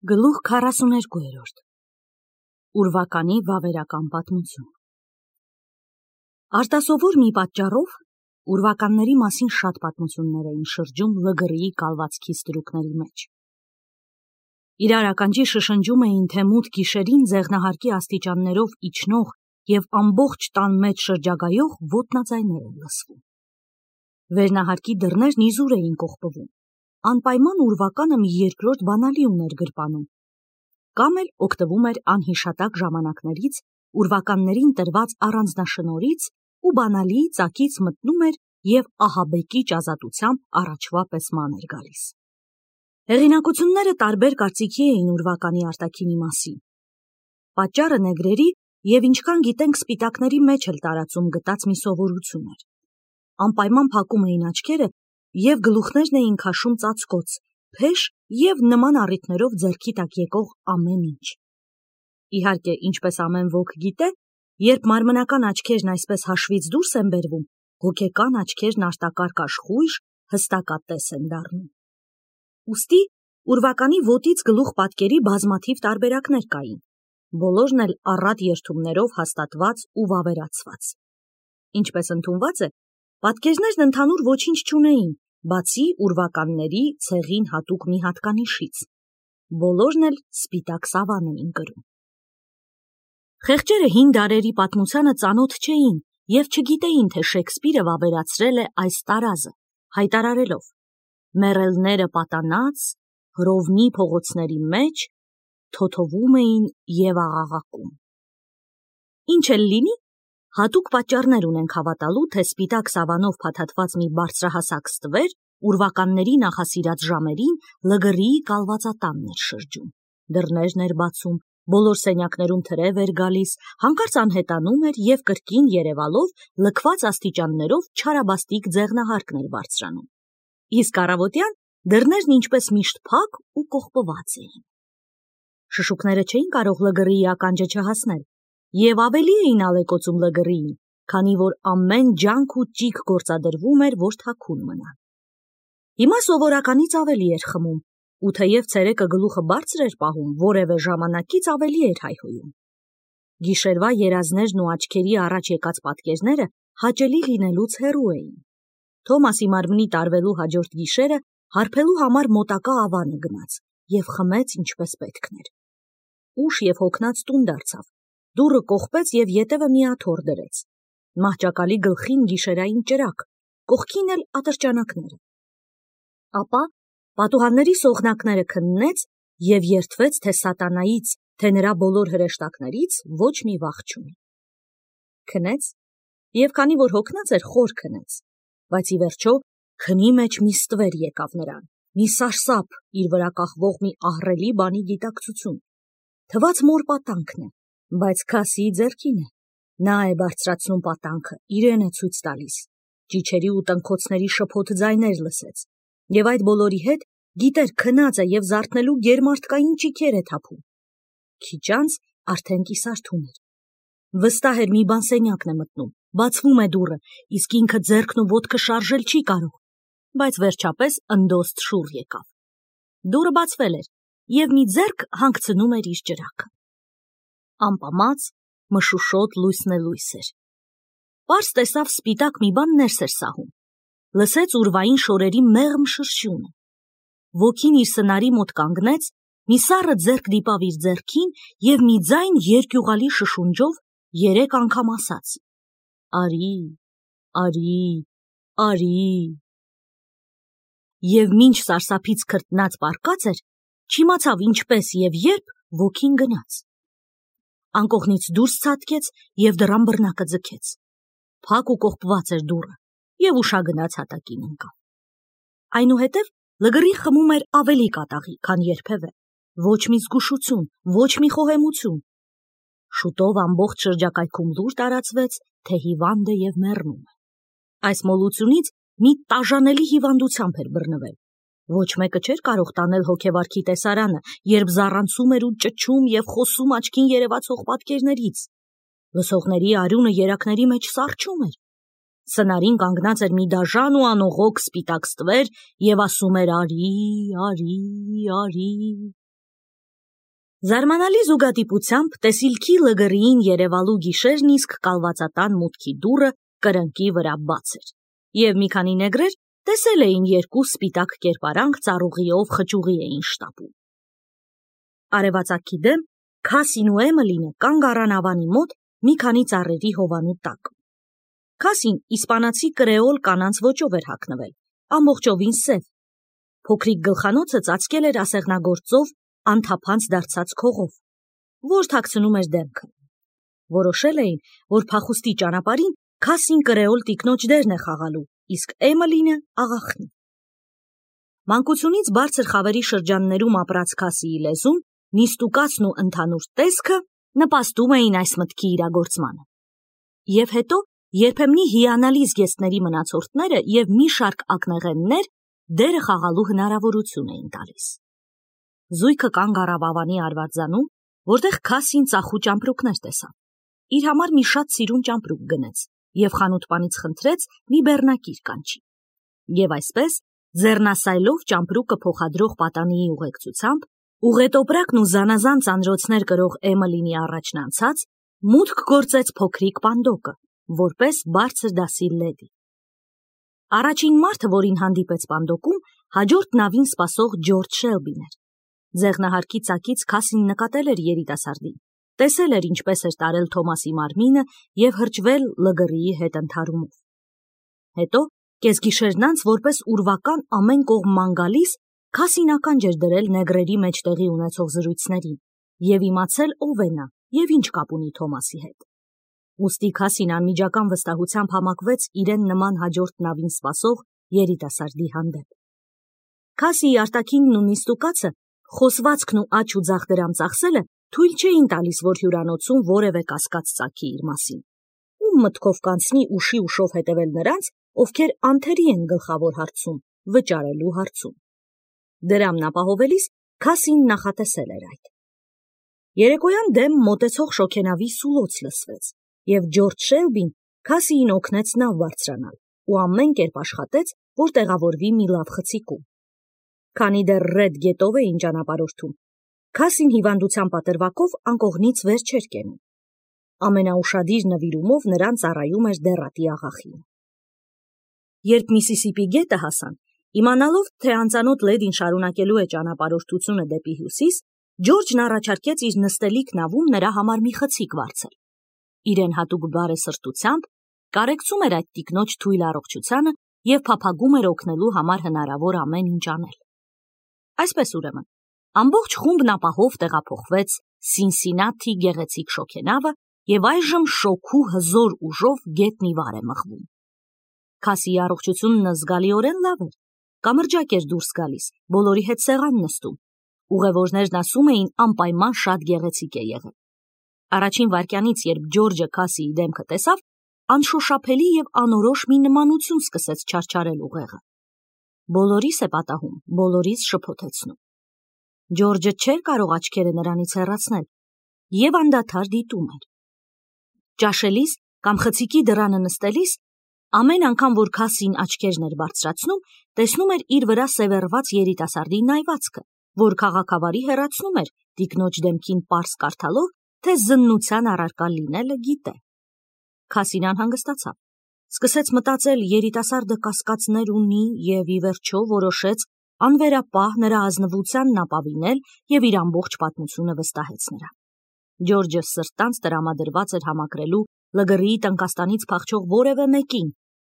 Գլուխ 42 Ուրվականի վավերական պատմություն Արտասովոր մի պատճառով ուրվականների մասին շատ պատմություններ էին շրջում լգրիի կալվածքի ստրուկների մեջ։ Իրար ականջի շշնջում էին, թե մութ գիշերին ձեղնահարկի աստիճաններով իջնող և ամբողջ տան մեջ շրջագայող ոտնաձայներ են լսվում։ Վերնահարկի դռներն իզուր էին կողպվում, անպայման ուրվականը մի երկրորդ բանալի ուներ գրպանում, կամ էլ օգտվում էր անհիշատակ ժամանակներից ուրվականներին տրված առանձնաշնորհից ու բանալիի ծակից մտնում էր և ահաբեկիչ ազատությամբ առաջվա պես ման էր գալիս։ Հեղինակությունները տարբեր կարծիքի էին ուրվականի արտաքինի մասին։ Պատճառը նեգրերի և ինչքան գիտենք սպիտակների մեջ էլ տարածում գտած մի սովորություն էր։ Անպայման փակում էին աչքերը և գլուխներն էին քաշում ծածկոց, փեշ և նման առիթներով ձեռքի տակ եկող ամեն ինչ։ Իհարկե, ինչպես ամեն ոք գիտե, երբ մարմնական աչքերն այսպես հաշվից դուրս են բերվում, հոգեկան աչքերն արտակարգ աշխույժ, հստակատես են դառնում։ Ուստի ուրվականի ոտից գլուխ պատկերի բազմաթիվ տարբերակներ կային, բոլորն էլ առատ երդումներով հաստատված ու վավերացված։ Ինչպես ընդունված է, պատկերներն ընդհանուր ոչինչ չունեին, բացի ուրվականների ցեղին հատուկ մի հատկանիշից։ Բոլորն էլ սպիտակ սավան էին կրում։ Խեղճերը հին դարերի պատմությանը ծանոթ չէին և չգիտեին, թե Շեքսպիրը վավերացրել է այս տարազը, հայտարարելով. «Մեռելները պատանած, Հռովմի փողոցների մեջ թոթովում էին և աղաղակում»։ Ինչ էլ լինի, հատուկ պատճառներ ունենք հավատալու, թե սպիտակ սավանով փաթաթված մի բարձրահասակ ստվեր ուրվականների նախասիրած ժամերին լգրիի կալվածատանն էր շրջում, դռներն էր բացում, բոլոր սենյակներում թրև էր գալիս, հանկարծ անհետանում էր և կրկին երևալով լքված աստիճաններով չարաբաստիկ ձեղնահարկն էր բարձրանում։ Իսկ առավոտյան դռներն ինչպես միշտ փակ ու կողպված էին։ Շշուկները չէին կարող լգրիի ականջը չհասնել և ավելի էին ալեկոծում լգրիին, քանի որ ամեն ջանք ու ճիգ գործադրվում էր, որ թաքուն մնա։ Հիմա սովորականից ավելի էր խմում, ու թեև ցերեկը գլուխը բարձր էր պահում, որևէ ժամանակից ավելի էր հայհոյում։ Գիշերվա երազներն ու աչքերի առաջ եկած պատկերները հաճելի լինելուց հեռու էին։ Թոմասի մարմնի տարվելու հաջորդ գիշերը հարբելու համար մոտակա ավանը գնաց և խմեց ինչպես պետքն էր։ Ուշ և հոգնած տուն դարձավ, դուռը կողպեց և ետևը մի աթոռ դրեց։ Մահճակալի գլխին գիշերային ճրագ, կողքին էլ ատրճանակները։ Ապա պատուհանների սողնակները քննեց և երդվեց, թե սատանայից, թե նրա բոլոր հրեշտակներից ոչ մի վախ չունի։ Քնեց և քանի որ հոգնած էր, խոր քնեց, բայց ի վերջո քնի մեջ մի ստվեր եկավ նրան, մի սարսափ, իր վրա կախվող մի ահռելի բանի գիտակցություն։ Թվաց մոր պատանքն է, բայց քասիի ձեռքին է։ Նա է բարձրացնում պատանքը, իրեն է ցույց տալիս։ Ճիչերի ու տնքոցների շփոթ ձայներ լսեց և այդ բոլորի հետ գիտեր քնած է և զարթնելու գերմարդկային ճիգեր է թափում։ Քիչ անց արդեն կիսարթուն էր։ Վստահ էր մի բան սենյակն է մտնում, բացվում է դուռը, իսկ ինքը ձեռքն ու ոտքը շարժել չի կարող, բայց վերջապես ընդոստ շուռ եկավ։ Դուռը բացվել էր և մի ձեռք հանգցնում էր իր ճրագը։ Ամպամած, մշուշոտ լույսնելույս էր։ Պարզ տեսավ սպիտակ մի բան ներս էր սահում, լսեց ուրվային շորերի մեղմ շրշյունը։ Ոգին իր սնարի մոտ կանգնեց, մի սառը ձեռք դիպավ իր ձեռքին և մի ձայն երկյուղալի շշունջով 3 անգամ ասաց. «Արի, արի, արի»։ Եվ մինչ սարսափից քրտնած պառկած էր, չիմացավ ինչպես և երբ ոգին գնաց։ Անկողնից դուրս ցատկեց և դռան բռնակը ձգեց։ Փակ ու կողպված էր դուռը և ուշագնաց հատակին ընկավ։ Այնուհետև լգռին խմում էր ավելի կատաղի, քան երբևէ, ոչ մի զգուշություն, ոչ մի խոհեմություն։ Շուտով ամբողջ շրջակայքում լուր տարածվեց, թե հիվանդ է և մեռնում է։ Այս մոլությունից մի տաժանելի հիվանդությամբ էր բռնվել։ Ոչ մեկը չէր կարող տանել հոգեվարքի տեսարանը, երբ զառանցում էր ու ճչում և խոսում աչքին երևացող պատկերներից։ Լսողների արյունը երակների մեջ սառչում էր։ Սնարին կանգնած էր մի դաժան ու անողոք սպիտակ ստվեր և ասում էր. «Արի, արի, արի»։ Զարմանալի զուգադիպությամբ տեսիլքի լգրիին երևալու գիշերն իսկ կալվածատան մուտքի դուռը կրնկի վրա բաց էր, և մի քանի նեգրեր տեսել էին երկու սպիտակ կերպարանք ծառուղիով խճուղի էին շտապում։ Արևածագի դեմ Քասին ու Էմելինը կանգ առան ավանի մոտ մի քանի ծառերի հովանու տակ։ Քասին իսպանացի կրեոլ կանանց ոճով էր հագնվել, ամբողջովին սև։ Փոքրիկ գլխանոցը ծածկել էր ասեղնագործով անթափանց դարձած քողով, որ թաքցնում էր դեմքը։ Որոշել էին, որ փախուստի ճանապարհին Քասին կրեոլ տիկնոջ դերն է խաղալու, իսկ Էմելինը աղախնի։ Մանկությունից բարձր խավերի շրջաններում ապրած Քասիի լեզուն, նիստուկացն ու ընդհանուր տեսքը նպաստում էին այս մտքի իրագործմանը։ Եվ հետո երբեմնի հիանալի զգեստների մնացորդները և մի շարք ակնեղեններ դերը խաղալու հնարավորություն էին տալիս։ Զույգը կանգ առավ ավանի արվարձանում, որտեղ Քասին ծախու ճամպրուկներ տեսավ։ Իր համար մի շատ սիրուն ճամպրուկ գնեց և խանութպանից խնդրեց մի բեռնակիր կանչի։ Եվ այսպես, ձեռնասայլով ճամպրուկը փոխադրող պատանիի ուղեկցությամբ, ուղետոպրակն ու զանազան ծանրոցներ կրող Էմելինի առաջն անցած, մուտք գործեց փոքրիկ պանդոկը, որպես բարձր դասի լեդի։ Առաջին մարդը, որին հանդիպեց պանդոկում, հաջորդ նավին սպասող Ջորջ Շելբին էր։ Ձեղնահարկի ծակից Քասին նկատել էր երիտասարդին, տեսել էր ինչպես էր տարել Թոմասի մարմինը և հրճվել լգրիի հետ ընդհարումով։ Հետո, կեսգիշերն անց, որպես ուրվական ամեն կողմ ման գալիս, Քասին ականջ էր դրել նեգրերի մեջ տեղի ունեցող զրույցներին և իմացել ով է նա և ինչ կապ ունի Թոմասի հետ։ Ուստի Քասին անմիջական վստահությամբ համակվեց իրեն նման հաջորդ նավին սպասող երիտասարդի հանդեպ։ Քասիի արտաքինն ու նիստուկացը, խոսվածքն ու աջ ու ձախ դրամ ծախսելը թույլ չէին տալիս, որ հյուրանոցում որևէ կասկած ծագի իր մասին։ Ում մտքով կանցնի ուշի ուշով հետևել նրանց, ովքեր անթերի են գլխավոր հարցում, վճարելու հարցում։ Դրամն ապահովելիս Քասին նախատեսել էր այդ։ Երեկոյան դեմ մոտեցող շոգենավի սուլոց լսվեց, և Ջորջ Շելբին Քասիին օգնեց նավ բարձրանալ ու ամեն կերպ աշխատեց, որ տեղավորվի մի լավ խցիկում։ Քանի դեռ ռեդ գետով էին ճանապարհորդում, Քասին հիվանդության պատրվակով անկողնից վեր չէր կենում։ Ամենաուշադիր նվիրումով նրան ծառայում էր դեռատի աղախինը։ Երբ Միսիսիպի գետը հասան, իմանալով, թե անծանոթ լեդին շարունակելու է ճանապարհորդությունը դեպի հյուսիս, Ջորջն առաջարկեց իր նստելիք նավում նրա համար մի խցիկ վարձել։ Իրեն հատուկ բարեսրտությամբ կարեկցում էր այդ տիկնոջ թույլ առողջությանը և փափագում էր օգնելու համար հնարավոր ամեն ինչ անել։ Այսպես ուրեմն, ամբողջ խումբն ապահով տեղափոխվեց Սինսինաթի գեղեցիկ շոգենավը և այժմ շոգու հզոր ուժով գետնի վար է մղվում։ Քասիի առողջությունն զգալիորեն լավ էր, կամրջակ էր դուրս գալիս, բոլորի հետ սեղան նստում։ Ուղևորներն ասում էին անպայման շատ գեղեցիկ է եղել։ Առաջին վայրկյանից, երբ Ջորջը Քասիի դեմքը տեսավ, անշոշափելի և անորոշ մի նմանություն սկսեց չարչարել ուղեղը։ Բոլորիս է պատահում, բոլորիս շփոթեցնում։ Ջորջը չէր կարող աչքերը նրանից հեռացնել և անդադար դիտում էր։ Ճաշելիս կամ խցիկի դռանը նստելիս, ամեն անգամ, որ Քասին աչքերն էր բարձրացնում, տեսնում էր իր վրա սևեռված երիտասարդի նայվածքը, որ քաղաքավարի հեռացնում էր տիկնոջ դեմքին պարզ կարդալով, թե զննության առարկա լինելը գիտե։ Քասին անհանգստացավ, սկսեց մտածել երիտասարդը կասկածներ ունի և ի վերջո որոշեց անվերապահ նրա ազնվությանն ապավինել և իր ամբողջ պատմությունը վստահեց նրան։ Ջորջը սրտանց տրամադրված էր համակրելու լգռիի տնկաստանից փախչող որևէ մեկին,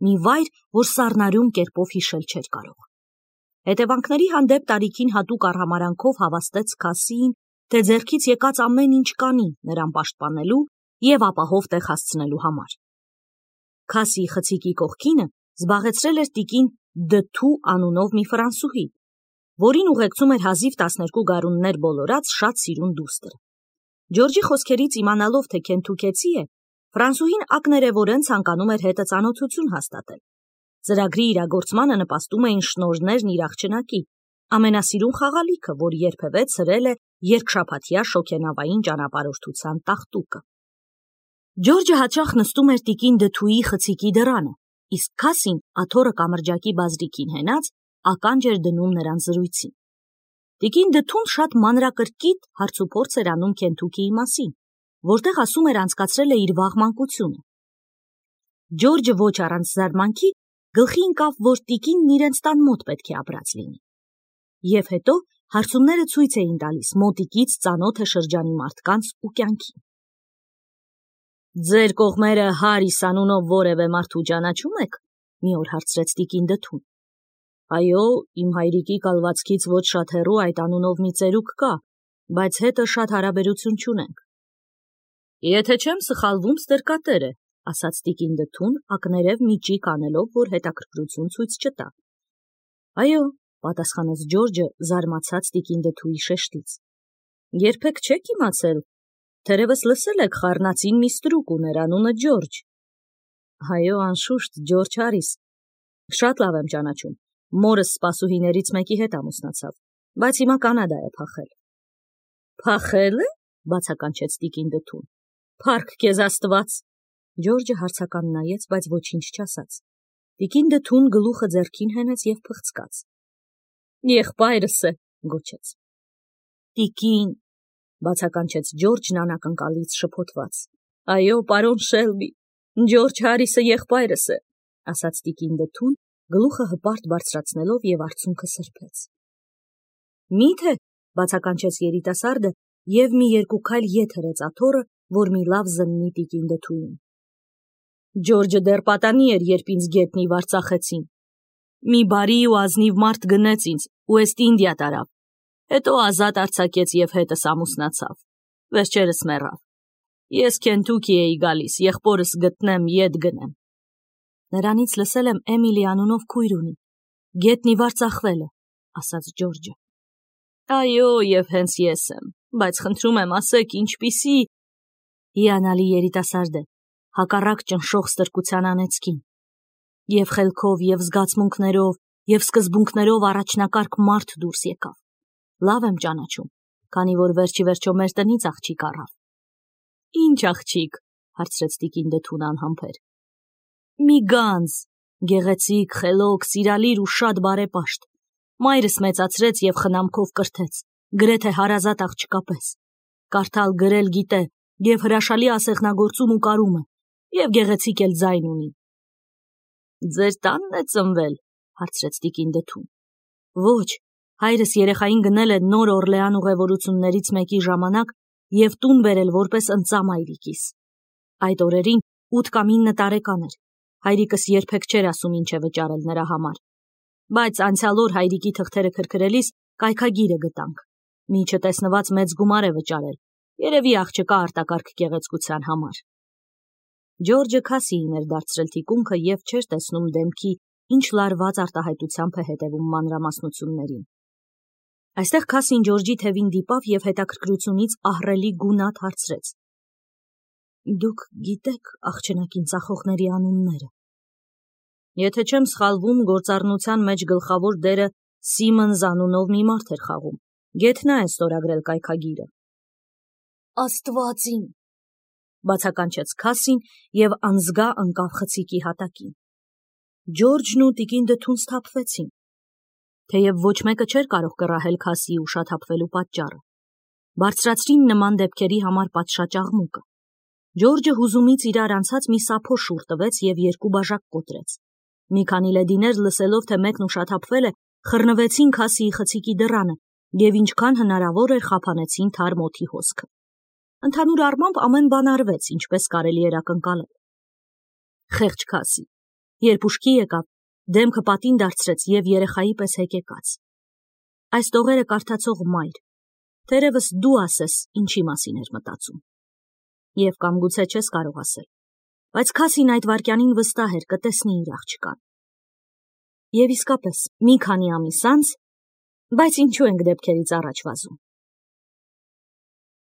մի վայր, որ սառնարյուն կերպով հիշել չէր կարող։ Հետևանքների հանդեպ տարիքին հատուկ արհամարանքով հավաստեց Քասիին, թե ձեռքից եկած ամեն ինչ կանի նրան պաշտպանելու և ապահով տեղ հասցնելու համար։ Քասիի խցիկի կողքինը զբաղեցրել էր տիկին Դթու անունով մի ֆրանսուհի, որին ուղեկցում էր հազիվ 12 գարուններ բոլորած շատ սիրուն դուստրը։ Ջորջի խոսքերից իմանալով, թե քենթուքեցի է, ֆրանսուհին ակներևորեն ցանկանում էր հետը ծանոթություն հաստատել։ Ծրագրի իրագործմանը նպաստում էին շնորհներն իր աղջնակի, ամենասիրուն խաղալիքը, որ երբևէ ցրել է երկշաբաթյա շոգենավային ճանապարհորդության տախտուկը։ Ջորջը հաճախ նստում էր տիկին Դթուի խցիկի դռանը, իսկ Քասին աթոռը կամրջակի բազրիկին հենած ականջ էր դնում նրան զրույցին։ Տիկին Դթուն շատ մանրակրկիտ հարցուփորձ էր անում Քենթուքիի մասին, որտեղ ասում էր անցկացրել է իր վաղ մանկությունը։ Ջորջը ոչ առանց զարմանքի գլխի ընկավ, որ տիկինն իրենց տան մոտ պետք է ապրած լինի։ Եվ հետո հարցումները ցույց էին տալիս մոտիկից ծանոթ է շրջանի մարդկանց ու կյանքին։ Ձեր կողմերը Հարիս անունով որևէ մարդու ճանաչում եք, մի օր հարցրեց տիկին Դթուն։ Այո, իմ հայրիկի կալվածքից ոչ շատ հեռու այդ անունով մի ծերուկ կա, բայց հետը շատ հարաբերություն չունենք։ Եթե չեմ սխալվում, ստրկատեր է, ասաց տիկին Դթուն, ակներև մի ճիգ անելով, որ հետաքրքրություն ցույց չտա։ Այո, պատասխանեց Ջորջը, զարմացած տիկին Դթուի շեշտից։ Երբեք չեք իմացել, թերևս լսել եք խառնածին մի ստրուկ ուներ անունը Ջորջ։ Այո, անշուշտ, Ջորջ Հարիս։ Շատ լավ եմ ճանաչում։ Մորս սպասուհիներից մեկի հետ ամուսնացավ, բայց հիմա Կանադա է փախել։ Փախել է, բացականչեց տիկին Դթուն։ Փառք քեզ Աստված։ Ջորջը հարցական նայեց, բայց ոչինչ չասաց։ Տիկին Դթուն գլուխը ձեռքին հենեց եւ փղցկաց։ Եղբայրս է, գոչեց։ Տիկին, բացականչեց Ջորջն անակնկալից շփոթված։ Այո, պարոն Շելբի, Ջորջ Հարիսը եղբայրս է, ասաց տիկին Դթուն, գլուխը հպարտ բարձրացնելով եւ արցունքը սրբեց։ Միթե, բացականչեց երիտասարդը եւ մի երկու քայլ ետ հրեց աթոռը, որ մի լավ զննի տիկին Դթուին։ Ջորջը դեռ պատանի էր, երբ ինձ գետնի վարձախեցին։ Մի բարի ու ազնիվ մարդ գնեց ինձ ու Էստ Ինդիա տարավ, հետո ազատ արձակեց եւ հետս ամուսնացավ, վերջերս մեռավ։ Ես Քենթուքի էի գալիս, եղբորս գտնեմ, ետ գնեմ։ Նրանից լսել եմ Էմիլի անունով քույր ունի, գետնի վարձախվել է, ասաց Ջորջը։ Այո, եւ հենց ես եմ, բայց խնդրում եմ ասեք, ինչպիսի… Հիանալի երիտասարդ է, հակառակ ճնշող ստրկության անեծքին։ Եվ խելքով, եւ զգացմունքներով, եւ սկզբունքներով առաջնակարգ մարդ դուրս եկավ։ Լավ եմ ճանաչում, քանի որ վերջի վերջո մեր տնից աղջիկ առավ։ Ինչ աղջիկ, հարցրեց տիկին Դթուն անհամբեր։ Մի գանձ, գեղեցիկ, խելոք, սիրալիր ու շատ բարեպաշտ։ Մայրս մեծացրեց եւ խնամքով կրթեց, գրեթե հարազատ աղջկա պես։ Կարդալ գրել գիտե եւ հրաշալի ասեղնագործում ու կարում է, եւ գեղեցիկ էլ ձայն ունի։ Ձեր տանն է ծնվել, հարցրեց տիկին Դթուն։ Ոչ, հայրս երեխային գնել է Նոր Օրլեան ուղևորություններից մեկի ժամանակ եւ տուն բերել որպես ընծա մայրիկիս։ Այդ օրերին 8 կամ 9 տարեկան էր։ Հայրիկս երբեք չէր ասում ինչ է վճարել նրա համար։ Բայց անցյալ օր հայրիկի թղթերը քրքրելիս կայքագիրը գտանք։ Մի չտեսնված մեծ գումար է վճարել։ Երևի աղջկա արտակարգ գեղեցկության համար։ Ջորջը քասիին էր դարձրել թիկունքը եւ չէր տեսնում դեմքի, ինչ լարված արտահայտությամբ է հետևում մանրամասնություններին։ Այստեղ քասին Ջորջի թևին դիպավ եւ հետաքրքրությունից ահռելի գունատ հարցրեց. Դուք գիտեք աղջնակին ծախողների անունները։ Եթե չեմ սխալվում, գործառնության մեջ գլխավոր դերը Սիմոնզ անունով մի մարդ էր խաղում։ Գեթնա է ստորագրել կայքագիրը։ Աստվածին, բացականչեց քասին եւ անզգա ընկավ խցիկի հատակին։ Ջորջն ու տիկին Դթուն սթափվեցին։ Թեև ոչ մեկը չէր կարող կռահել քասիի ուշաթափվելու պատճառը։ Բարձրացրին նման դեպքերի համար պատշաճ աղմուկը։ Ջորջը հուզումից իրար անցած մի սափո շուռ տվեց եւ երկու բաժակ կոտրեց։ Մի քանի լեդիներ լսելով, թե մեկն ուշաթափվել է, խռնվեցին քասիի խցիկի դռանը եւ ինչքան հնարավոր էր խափանեցին թարմ օդի հոսքը։ Ընդհանուր առմամբ ամեն բան արվեց, ինչպես կարելի էր ակնկալել։ Խեղճ քասի, երբ ուշքի եկավ, դեմքը պատին դարձրեց եւ երեխայի պես հեկեկաց։ Այս տողերը կարդացող մայր, թերևս դու ասես, ինչի մասին էր մտածում։ Եվ կամ գուցե չես կարող ասել, բայց քասին այդ վարքյանին վստահ էր կտեսնի իր աղջկան։ Եվ իսկապես, մի քանի ամիս անց, բայց ինչու ենք դեպքերից առաջ վազում։